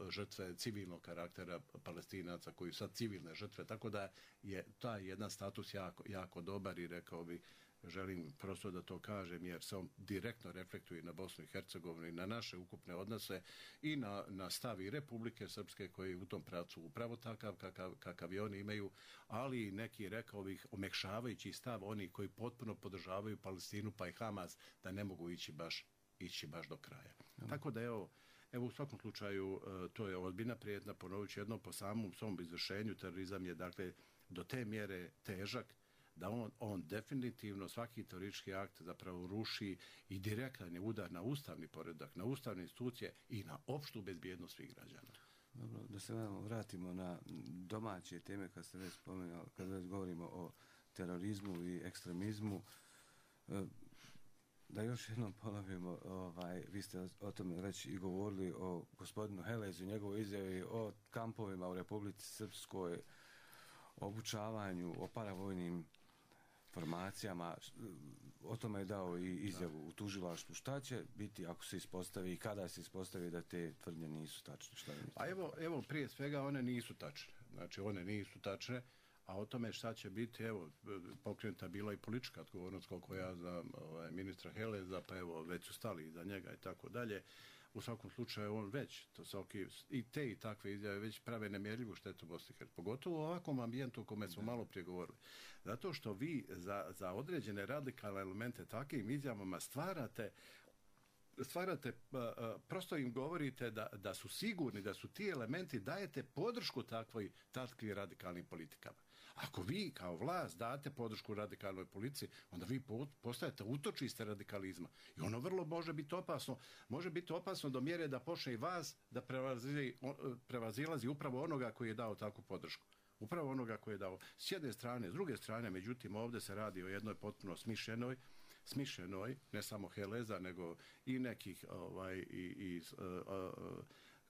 žrtve civilnog karaktera Palestinaca koji su sad civilne žrtve, tako da je taj jedan status jako dobar i rekao bi, želim prosto da to kažem jer se on direktno reflektuje na Bosnu i Hercegovinu i na naše ukupne odnose i na stav i Republike Srpske koji je u tom pravcu upravo takav kakav i oni imaju, ali i neki, rekao bih, omekšavajući stav oni koji potpuno podržavaju Palestinu pa i Hamas da ne mogu ići baš do kraja. Tako da evo u svakom slučaju to je ozbiljna prijetnja, ponovit ću jednom, po samom svom izvršenju terorizam je dakle do te mjere težak da on definitivno svaki teroristički akt zapravo ruši i direktan je udar na ustavni poredak, na ustavne institucije i na opštu bezbjednost svih građana. Dobro, da se vratimo na domaće teme kad ste već spomenuli, kad već govorimo o terorizmu i ekstremizmu. Da još jednom ponovimo, vi ste o tome već i govorili o gospodinu Helezu, njegovoj izjavi o kampovima u Republici Srpskoj, obučavanju, o paravojnim formacijama, o tome je dao i izjavu u tužilaštvu. Šta će biti ako se ispostavi i kada se ispostavi da te tvrdnje nisu tačne? A evo prije svega one nisu tačne. Znači one nisu tačne, a o tome šta će biti, evo, pokrenuta bila i politička odgovornost, koliko ja znam, ministra Heleza, pa evo, već su stali iza njega i tako dalje. U svakom slučaju on već, i te i takve izjave već prave nemjerljivu štetu Bosni i Hercegovini, pogotovo u ovakvom ambijentu o kome smo malo prije govorili. Zato što vi za određene radikalne elemente takvim izjavama stvarate, prosto im govorite da su sigurni, da su ti elementi, dajete podršku takvim radikalnim politikama. Ako vi kao vlast date podršku radikalnoj policiji, onda vi postajete utočište radikalizma. I ono vrlo može biti opasno do mjere da počne i vas da prevazilazi upravo onoga koji je dao takvu podršku. Upravo onoga koji je dao. S jedne strane, s druge strane, međutim, ovdje se radi o jednoj potpuno smišljenoj, ne samo Heleza, nego i nekih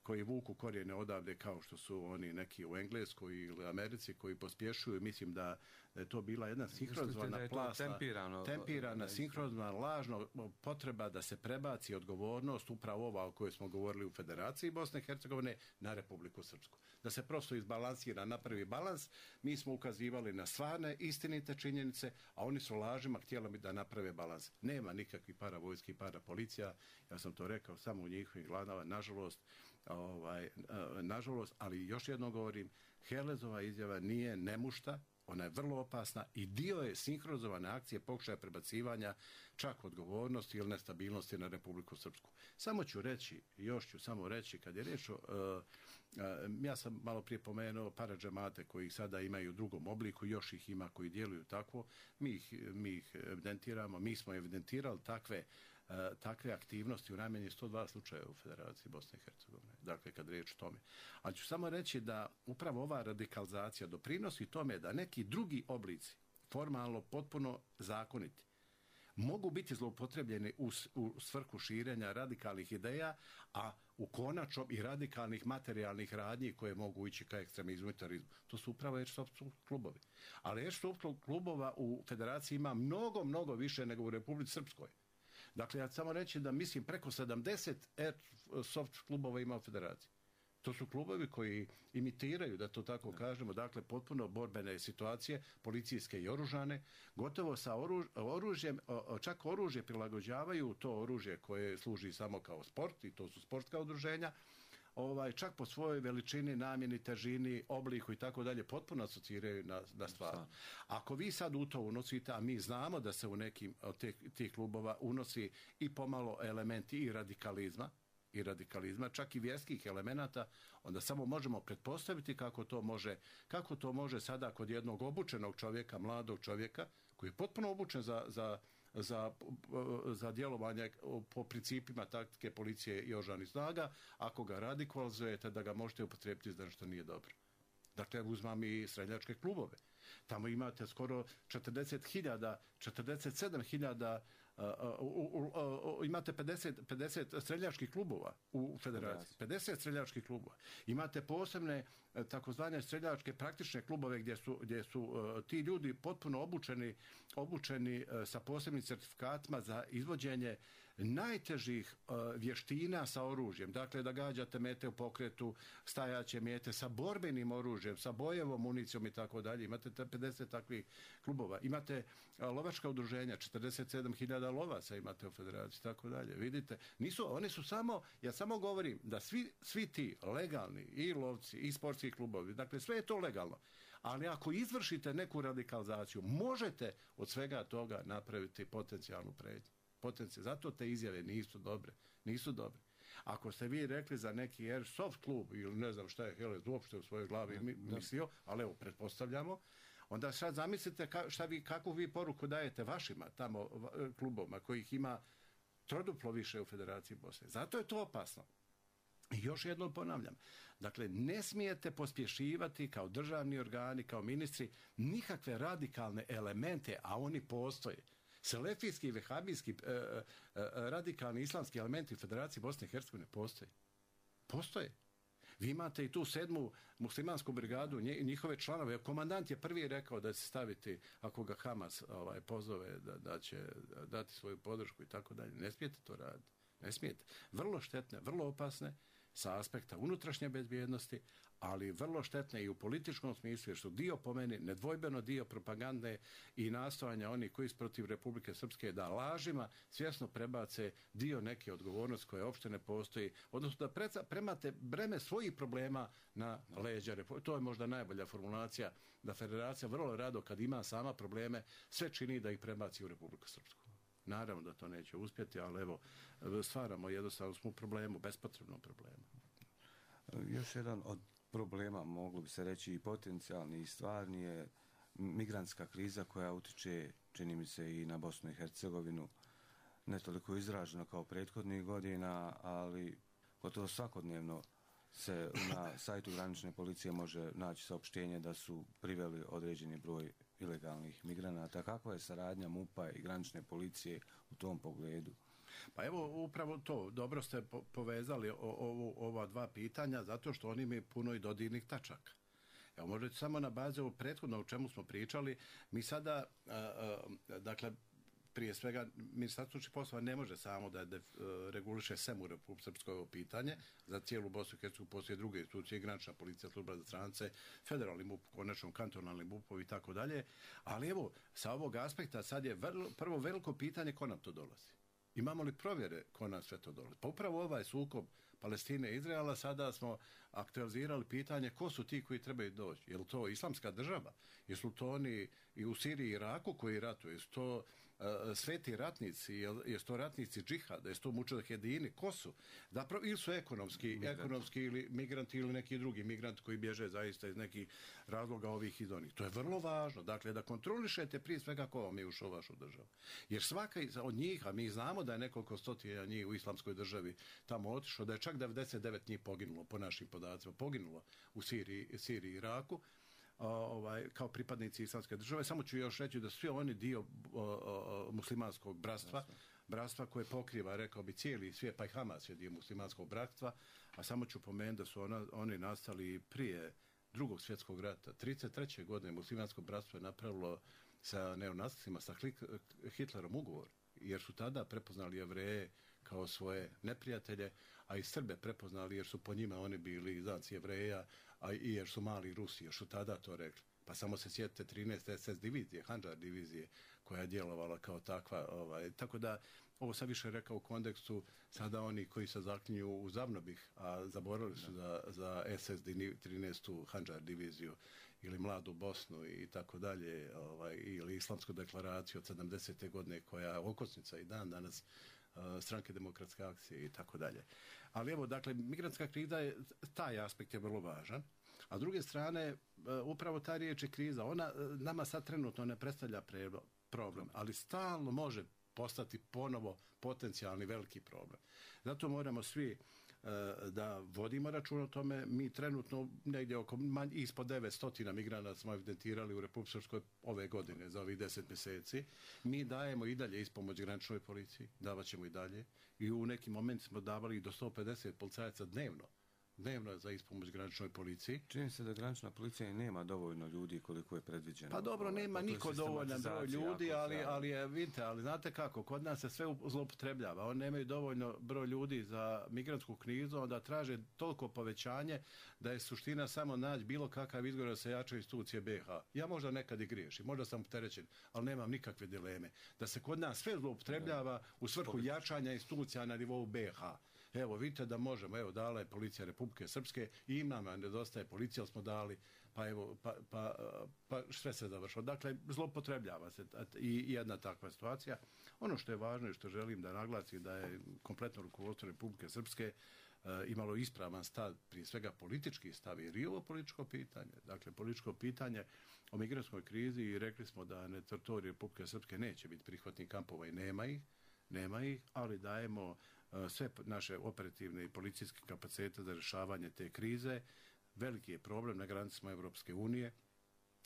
koji vuku korijene odavde kao što su oni neki u Engleskoj ili Americi koji pospješuju. Mislim da je to bila jedna sinhronizovana tempirana, sinhronizovana, lažna potreba da se prebaci odgovornost upravo ova o kojoj smo govorili u Federaciji Bosne i Hercegovine na Republiku Srpsku. Da se prosto izbalansira, napravi balans. Mi smo ukazivali na stvarne, istinite činjenice, a oni su lažima htjeli da naprave balans. Nema nikakvih paravojski, parapolicija, ja sam to rekao samo u njihovim glavama, nažalost, ali još jednom govorim, Helezova izjava nije nemušta, ona je vrlo opasna i dio je sinhronizovane akcije pokušaja prebacivanja čak odgovornosti ili nestabilnosti na Republiku Srpsku. Još ću samo reći, kad je riječ ja sam malo prije pomenuo paradžemate koji sada imaju u drugom obliku, još ih ima koji djeluju tako, mi ih evidentiramo, mi smo evidentirali takve aktivnosti u najmanje 102 slučaja u Federaciji Bosne i Hercegovine. Dakle, kad riječ o tome. Ali ću samo reći da upravo ova radikalizacija doprinosi tome da neki drugi oblici, formalno potpuno zakoniti, mogu biti zloupotrebljeni u svrhu širenja radikalnih ideja, a u konačnom i radikalnih materijalnih radnji koje mogu ići ka ekstremizmu i terorizmu. To su upravo airsoft klubovi. Ali airsoft klubova u Federaciji ima mnogo, mnogo više nego u Republici Srpskoj. Dakle, ja samo reći da mislim preko 70 airsoft klubova ima u Federaciji. To su klubovi koji imitiraju, da to tako kažemo, dakle potpuno borbene situacije, policijske i oružane, gotovo sa oružjem, čak oružje prilagođavaju to oružje koje služi samo kao sport, i to su sportska udruženja, čak po svojoj veličini, namjeni, težini, obliku i tako dalje, potpuno asociraju na stvar. Ako vi sad u to unosite, a mi znamo da se u nekim od tih klubova unosi i pomalo elementi i radikalizma, čak i vjerskih elemenata, onda samo možemo pretpostaviti kako to može sada kod jednog obučenog čovjeka, mladog čovjeka, koji je potpuno obučen za djelovanje po principima taktike policije i oružanih snaga, ako ga radikalizujete, da ga možete upotrijebiti za nešto nije dobro. Dakle, uzmam i streljačke klubove. Tamo imate skoro 47.000 imate 50 streljačkih klubova u Federaciji. 50 streljačkih klubova. Imate posebne takozvane streljačke praktične klubove gdje su ti ljudi potpuno obučeni sa posebnim certifikatima za izvođenje najtežih vještina sa oružjem. Dakle, da gađate mete u pokretu, stajaće mete sa borbenim oružjem, sa bojevom municijom i tako dalje. Imate 50 takvih klubova. Imate lovačka udruženja, 47.000 lovaca imate u Federaciji i tako dalje. Vidite, oni su samo, ja samo govorim da svi ti legalni i lovci i sportski klubovi, dakle sve je to legalno. Ali ako izvršite neku radikalizaciju, možete od svega toga napraviti potencijalnu prijetnju. Zato te izjave nisu dobre. Ako ste vi rekli za neki airsoft klub ili ne znam šta je Helez uopšte u svojoj glavi mislio, ali evo, pretpostavljamo, onda sad zamislite kakvu vi poruku dajete vašima tamo klubovima kojih ima troduplo više u Federaciji Bosne. Zato je to opasno. I još jednom ponavljam, dakle, ne smijete pospješivati kao državni organi, kao ministri, nikakve radikalne elemente, a oni postoje. Selefijski i vehabijski radikalni islamski elementi u Federaciji Bosne i Hercegovine postoje. Vi imate i tu 7. muslimansku brigadu, njihove članove. Komandant je prvi rekao da će staviti, ako ga Hamas pozove, da će dati svoju podršku i tako dalje. Ne smijete to raditi. Ne smijete. Vrlo štetne, vrlo opasne sa aspekta unutrašnje bezbjednosti, ali vrlo štetne i u političkom smislu, jer su dio, po meni, nedvojbeno dio propagande i nastojanja onih koji su protiv Republike Srpske da lažima svjesno prebace dio neke odgovornosti koje uopšte ne postoji, odnosno da premate breme svojih problema na leđa Republike. To je možda najbolja formulacija, da Federacija vrlo rado, kad ima sama probleme, sve čini da ih prebaci u Republiku Srpsku. Naravno da to neće uspjeti, ali evo, stvaramo jednostavno smo u problemu, bespotrebnom problemu. Još jedan od problema, moglo bi se reći i potencijalni i stvarni, je migrantska kriza koja utiče, čini mi se, i na Bosnu i Hercegovinu, ne toliko izraženo kao prethodnih godina, ali gotovo svakodnevno se na sajtu granične policije može naći saopštenje da su priveli određeni broj ilegalnih migranata. Kakva je saradnja MUP-a i granične policije u tom pogledu? Pa evo, upravo to, dobro ste povezali ova dva pitanja, zato što oni imaju puno i dodirnih tačaka. Evo, možete samo na bazi ovog prethodno o čemu smo pričali, mi sada, dakle, prije svega, Ministarstvo unutrašnjih poslova ne može samo da reguliše sem u Republici Srpskoj ovo pitanje, za cijelu Bosnu i Hercegovinu postoje druge institucije, granična policija, služba za strance, federalni MUP, konačno kantonalni MUP-ovi i tako dalje, ali evo, sa ovog aspekta sad je prvo veliko pitanje ko nam to dolazi. Imamo li provjere ko nam sve to dolazi? Pa upravo ovaj sukob Palestine i Izraela sada smo aktualizirali pitanje ko su ti koji trebaju doći. Je li to islamska država? Jesu to oni i u Siriji i Iraku koji ratuju? Jesu to sveti ratnici? Jesu to ratnici džihada? Jesu to mučahedini? Ko su? Zapravo, ili su ekonomski ili migranti ili neki drugi migranti koji bježe zaista iz nekih razloga ovih iz onih. To je vrlo važno. Dakle, da kontrolišete prije svega ko vam je ušao u vašu državu. Jer svaka od njih, a mi znamo da je nekoliko stotina njih u islamskoj državi tamo otišlo, da je čak 99 njih poginulo, po našim podacima, poginulo u Siriji i Iraku, kao pripadnici islamske države. Samo ću još reći da svi oni dio muslimanskog bratstva koje pokriva, rekao bi, cijeli svijet, pa i Hamas je dio muslimanskog bratstva, a samo ću pomenuti da su oni nastali prije Drugog svjetskog rata. 1933. godine muslimansko bratstvo je napravilo sa neonacima, sa Hitlerom ugovor, jer su tada prepoznali Jevreje kao svoje neprijatelje, a i Srbe prepoznali jer su po njima oni bili znači Jevreja, a i jer su mali Rusi, jer su tada to rekli. Pa samo se sjetite 13. SS divizije, Handžar divizije, koja je djelovala kao takva. Tako da, ovo sam više rekao u kontekstu, sada oni koji se zaklinju u Zavnobih, a zaboravili su za SS 13. Handžar diviziju, ili Mladu Bosnu i tako dalje, ili Islamsku deklaraciju od 70. godine koja je okosnica i dan danas stranke demokratske akcije i tako dalje. Ali evo, dakle, migrantska kriza, taj aspekt je vrlo važan. A s druge strane, upravo ta riječ je kriza. Ona nama sad trenutno ne predstavlja problem, ali stalno može postati ponovo potencijalni veliki problem. Zato moramo svi da vodimo račun o tome. Mi trenutno negdje ispod 900 migranata smo evidentirali u Republici Srpskoj ove godine za ovih 10 mjeseci. Mi dajemo i dalje ispomoć graničnoj policiji, davat ćemo i dalje. I u nekim momentima smo davali do 150 policajaca dnevno za ispomoć graničnoj policiji. Čini se da granična policija nema dovoljno ljudi koliko je predviđeno. Pa dobro, nema niko dovoljan broj ljudi, ali znate kako, kod nas se sve zloupotrebljava. Oni nemaju dovoljno broj ljudi za migrantsku krizu, onda traže toliko povećanje da je suština samo naći bilo kakav izgovor da se jačaju institucije BiH. Ja možda nekad i griješim, možda sam opterećen, ali nemam nikakve dileme. Da se kod nas sve zloupotrebljava u svrhu jačanja institucija na nivou BiH. Evo, vidite da možemo, evo, dala je policija Republike Srpske i nama nedostaje policija, smo dali, pa evo, pa sve se završilo. Dakle, zloupotrebljava se i jedna takva situacija. Ono što je važno i što želim da naglasim da je kompletno rukovodstvo Republike Srpske imalo ispravan stav, prije svega politički stav, jer i ovo političko pitanje. Dakle, političko pitanje o migrantskoj krizi i rekli smo da na teritoriju Republike Srpske neće biti prihvatnih kampova i nema ih, ali dajemo sve naše operativne i policijske kapacitete za rješavanje te krize. Veliki je problem na granicama Europske unije.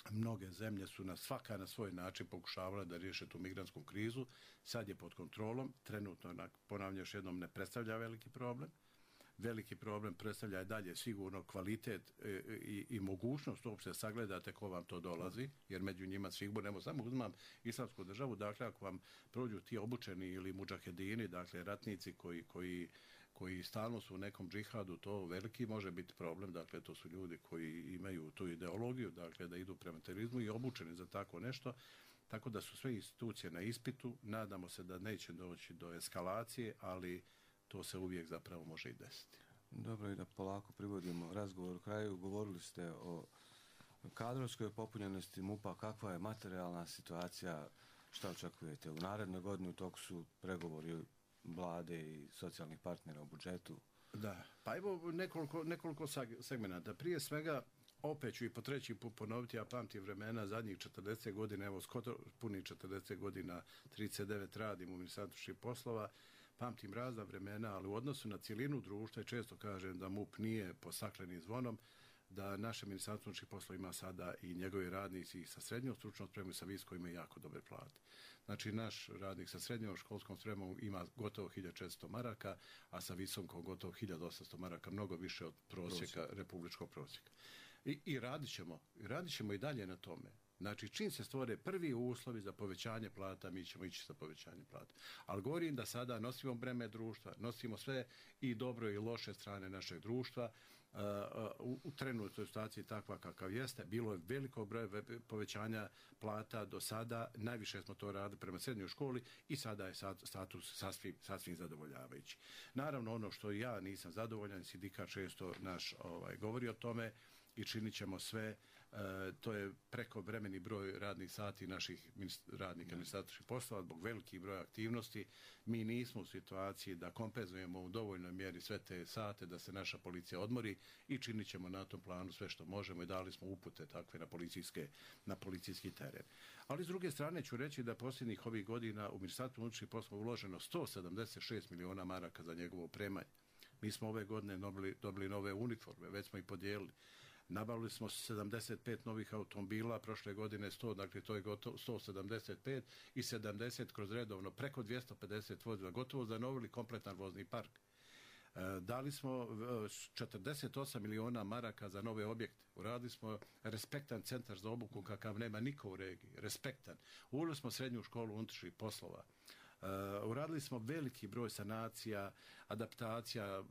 Mnoge zemlje su svaka na svoj način pokušavale da riješe tu migrantsku krizu. Sad je pod kontrolom. Trenutno, ponavljam još jednom, ne predstavlja veliki problem. Veliki problem predstavlja i dalje sigurno kvalitet i mogućnost uopšte sagledate ko vam to dolazi, jer među njima sigurno, samo uzmam islamsku državu, dakle ako vam prođu ti obučeni ili mudžahedini, dakle ratnici koji stalno su u nekom džihadu, to veliki može biti problem, dakle to su ljudi koji imaju tu ideologiju, dakle da idu prema terorizmu i obučeni za tako nešto, tako da su sve institucije na ispitu, nadamo se da neće doći do eskalacije, ali to se uvijek zapravo može i desiti. Dobro, i da polako privodimo razgovor u kraju. Govorili ste o kadrovskoj popunjenosti MUP-a. Kakva je materijalna situacija? Šta očekujete u narednoj godini? U toku su pregovori vlade i socijalnih partnera u budžetu. Da, pa evo nekoliko segmenata. Prije svega, Opet ću i po treći put ponoviti, ja pamtim vremena zadnjih 40 godina, evo skoro punih 40 godina, 39 radim u Ministarstvu unutrašnjih poslova, pamtim razna vremena, ali u odnosu na cijelinu društva i često kažem da MUP nije pod staklenim zvonom, da naše Ministarstvo unutrašnjih poslova ima sada i njegovi radnici sa srednjom stručnom spremom i sa visokom imaju jako dobre plate. Znači, naš radnik sa srednjom školskom spremom ima gotovo 1400 maraka, a sa visokom gotovo 1800 maraka, mnogo više od prosjeka, republičkog prosjeka. I radit ćemo i dalje na tome. Znači, čim se stvore prvi uslovi za povećanje plata, mi ćemo ići sa povećanjem plata. Ali govorim da sada nosimo breme društva, nosimo sve i dobro i loše strane našeg društva. U trenutnoj situaciji takva kakav jeste, bilo je veliko broje povećanja plata do sada, najviše smo to radili prema srednjoj školi i sada je status sasvim zadovoljavajući. Naravno, ono što ja nisam zadovoljan, sindikat često naš govori o tome i činit ćemo sve, to je preko vremeni broj radnih sati naših radnika Ministarstva unutrašnjih poslova zbog veliki broj aktivnosti. Mi nismo u situaciji da kompenzujemo u dovoljnoj mjeri sve te sate da se naša policija odmori i činit ćemo na tom planu sve što možemo i dali smo upute takve na policijski teren. Ali s druge strane ću reći da posljednjih ovih godina u Ministarstvu unutrašnjih poslova uloženo 176 miliona maraka za njegovo opremanje. Mi smo ove godine dobili nove uniforme, već smo ih podijelili. Nabavili smo 75 novih automobila, prošle godine 100, dakle to je gotovo 175 i 70 kroz redovno, preko 250 vozila, gotovo zanovili kompletan vozni park. Dali smo 48 miliona maraka za nove objekte. Uradili smo respektan centar za obuku kakav nema niko u regiji. Respektan. Uveli smo srednju školu unutrašnjih poslova. Uradili smo veliki broj sanacija, adaptacija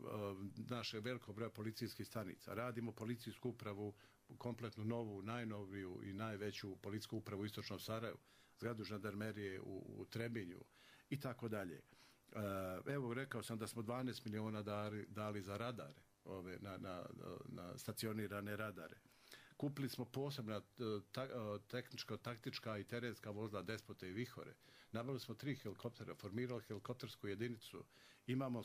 našeg velikog broja policijskih stanica. Radimo policijsku upravu, kompletnu novu, najnoviju i najveću policijsku upravu u Istočnom Sarajevu, zgradu žandarmerije u Trebinju i tako dalje. Evo, rekao sam da smo 12 miliona dali za radare, na stacionirane radare. Kupili smo posebna tehničko-taktička i terenska vozila Despote i Vihore. Nabavili smo 3 helikoptera, formirali helikoptersku jedinicu. Imamo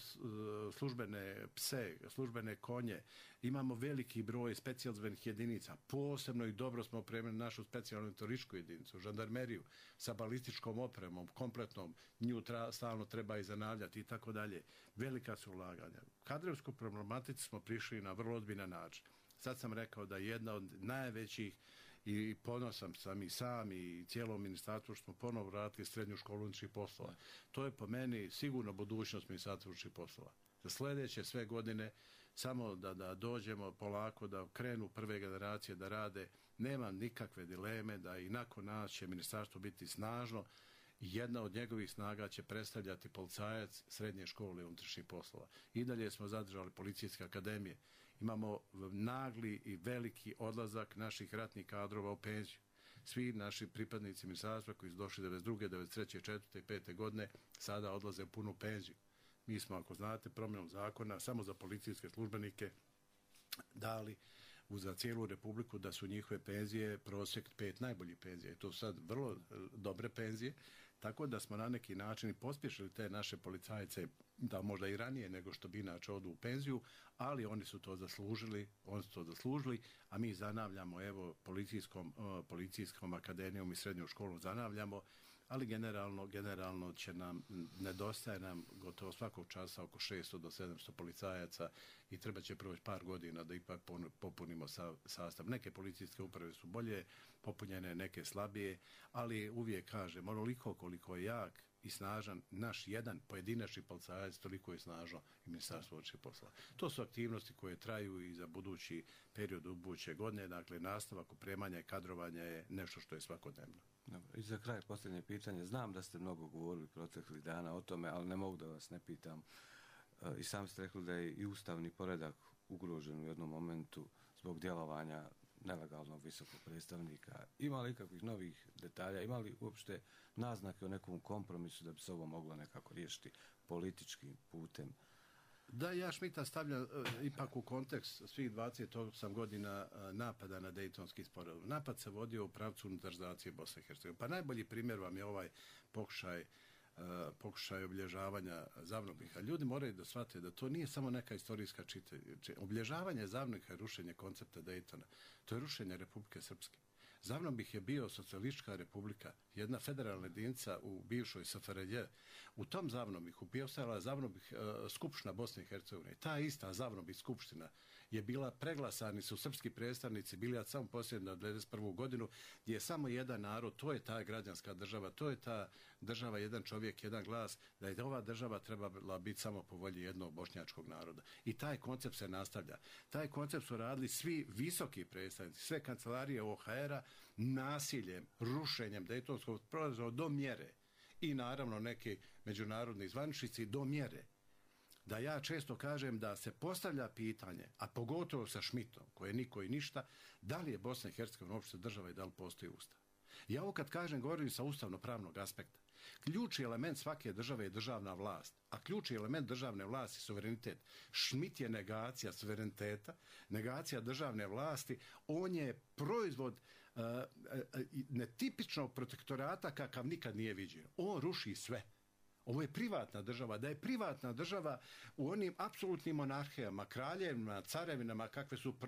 službene pse, službene konje. Imamo veliki broj specijalnih jedinica. Posebno i dobro smo opremili našu specijalnu toričku jedinicu, žandarmeriju, sa balističkom opremom, kompletnom. Nju stalno treba i zanavljati i tako dalje. Velika su ulaganja. Kadrovsku problematici smo prišli na vrlo ozbiljan način. Sad sam rekao da jedna od najvećih i ponosan sam i sam i cijelo ministarstvo što smo ponovo vratili srednju školu unutrašnjih poslova. To je po meni sigurno budućnost Ministarstva unutrašnjih poslova. Za sljedeće sve godine samo da dođemo polako, da krenu prve generacije da rade. Nema nikakve dileme da i nakon nas će ministarstvo biti snažno i jedna od njegovih snaga će predstavljati policajac srednje škole unutrašnjih poslova. I dalje smo zadržali policijske akademije. Imamo nagli i veliki odlazak naših ratnih kadrova u penziju. Svi naši pripadnici ministarstva koji su došli 92. 93. 4. i 5. godine sada odlaze u punu penziju. Mi smo, ako znate, promjenom zakona samo za policijske službenike dali za cijelu Republiku da su njihove penzije prosjek 5 najboljih penzija. I to su sad vrlo dobre penzije, tako da smo na neki način pospješili te naše policajce da možda i ranije nego što bi inače odu u penziju, ali oni su to zaslužili, a mi zanavljamo, evo, policijskom akademijom i srednjom školom zanavljamo, ali generalno nedostaje nam gotovo svakog časa oko 600 do 700 policajaca i treba će proći par godina da ipak popunimo sastav. Neke policijske uprave su bolje popunjene, neke slabije, ali uvijek kažem, onoliko koliko je jak i snažan naš jedan pojedinačni policajac, toliko je snažno i Ministarstvo unutrašnjih poslova. To su aktivnosti koje traju i za budući period buduće godine, dakle nastavak opremanja i kadrovanja je nešto što je svakodnevno. Dobro. I za kraj posljednje pitanje. Znam da ste mnogo govorili proteklih dana o tome, ali ne mogu da vas ne pitam. I sam ste rekli da je i ustavni poredak ugrožen u jednom momentu zbog djelovanja nelegalnog visokog predstavnika. Ima li ikakvih novih detalja? Ima li uopšte naznake o nekom kompromisu da bi se ovo moglo nekako riješiti političkim putem? Da, ja Šmita stavljam ipak u kontekst svih 28 godina napada na Dejtonski sporazum. Napad se vodio u pravcu unitarizacije Bosne i Hercegovine. Pa najbolji primjer vam je ovaj pokušaj pokušaj obilježavanja Zavnobiha. Ljudi moraju da shvate da to nije samo neka istorijska obilježavanje Zavnobiha je rušenje koncepta Dejtona. To je rušenje Republike Srpske. Zavnobih je bio socijalistička republika, jedna federalna jedinica u bivšoj SFRJ. U tom Zavnobihu postojala Zavnobih skupština Bosne i Hercegovine. Ta ista Zavnobih skupština je bila, preglasani su srpski predstavnici bili od samo posljedno 1991. godinu, gdje je samo jedan narod, to je ta građanska država, to je ta država jedan čovjek, jedan glas, da je ova država trebala biti samo po volji jednog bošnjačkog naroda. I taj koncept se nastavlja. Taj koncept su radili svi visoki predstavnici, sve kancelarije OHR-a, nasiljem, rušenjem Dejtonskog sporazuma do mjere i naravno neki međunarodni zvaničnici do mjere da ja često kažem da se postavlja pitanje, a pogotovo sa Šmitom, koje niko i ništa, da li je Bosna i Hercegovina uopšte država i da li postoji ustav. Ja ovo kad kažem govorim sa ustavno-pravnog aspekta. Ključni element svake države je državna vlast, a ključni element državne vlasti je suverenitet. Šmit je negacija suvereniteta, negacija državne vlasti, on je proizvod netipičnog protektorata kakav nikad nije viđen. On ruši sve. Ovo je privatna država. Da je privatna država u onim apsolutnim monarhijama, kraljevima, carevinama kakve su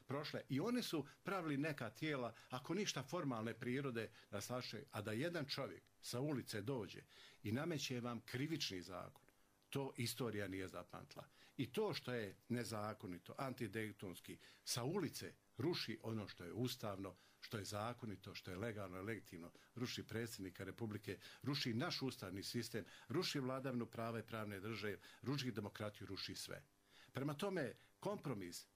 prošle i one su pravili neka tijela, ako ništa formalne prirode, da slaše, a da jedan čovjek sa ulice dođe i nameće vam krivični zakon, to istorija nije zapamtila. I to što je nezakonito, antidejtonski, sa ulice ruši ono što je ustavno, što je zakonito, što je legalno i legitimno, ruši predsjednika Republike, ruši naš ustavni sistem, ruši vladavinu prava i pravne države, ruši demokratiju, ruši sve. Prema tome,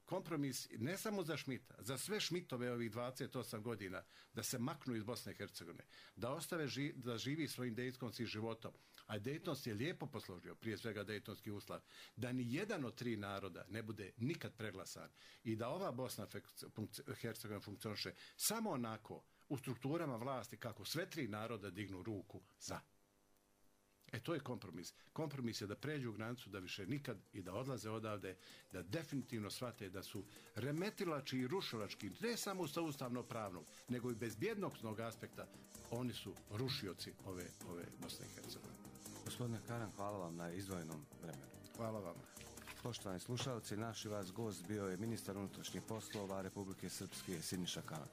kompromis ne samo za Šmita, za sve Šmitove ovih 28 godina, da se maknu iz Bosne i Hercegovine, da ostave da živi svojim dejtonskim životom. A Dejtons je lijepo posložio, prije svega Dejtonski ustav, da ni jedan od tri naroda ne bude nikad preglasan i da ova Bosna i Hercegovina funkcioniše samo onako u strukturama vlasti kako sve tri naroda dignu ruku za. To je kompromis. Kompromis je da pređu granicu, da više nikad i da odlaze odavde, da definitivno shvate da su remetilački i rušilački, ne samo sa ustavno-pravnog, nego i bezbjednostnog aspekta, oni su rušioci ove Bosne i Hercegovine. Gospodine Karan, hvala vam na izdvojenom vremenu. Hvala vam. Poštovani slušalci, naš i vas gost bio je ministar unutrašnjih poslova Republike Srpske Siniša Karan.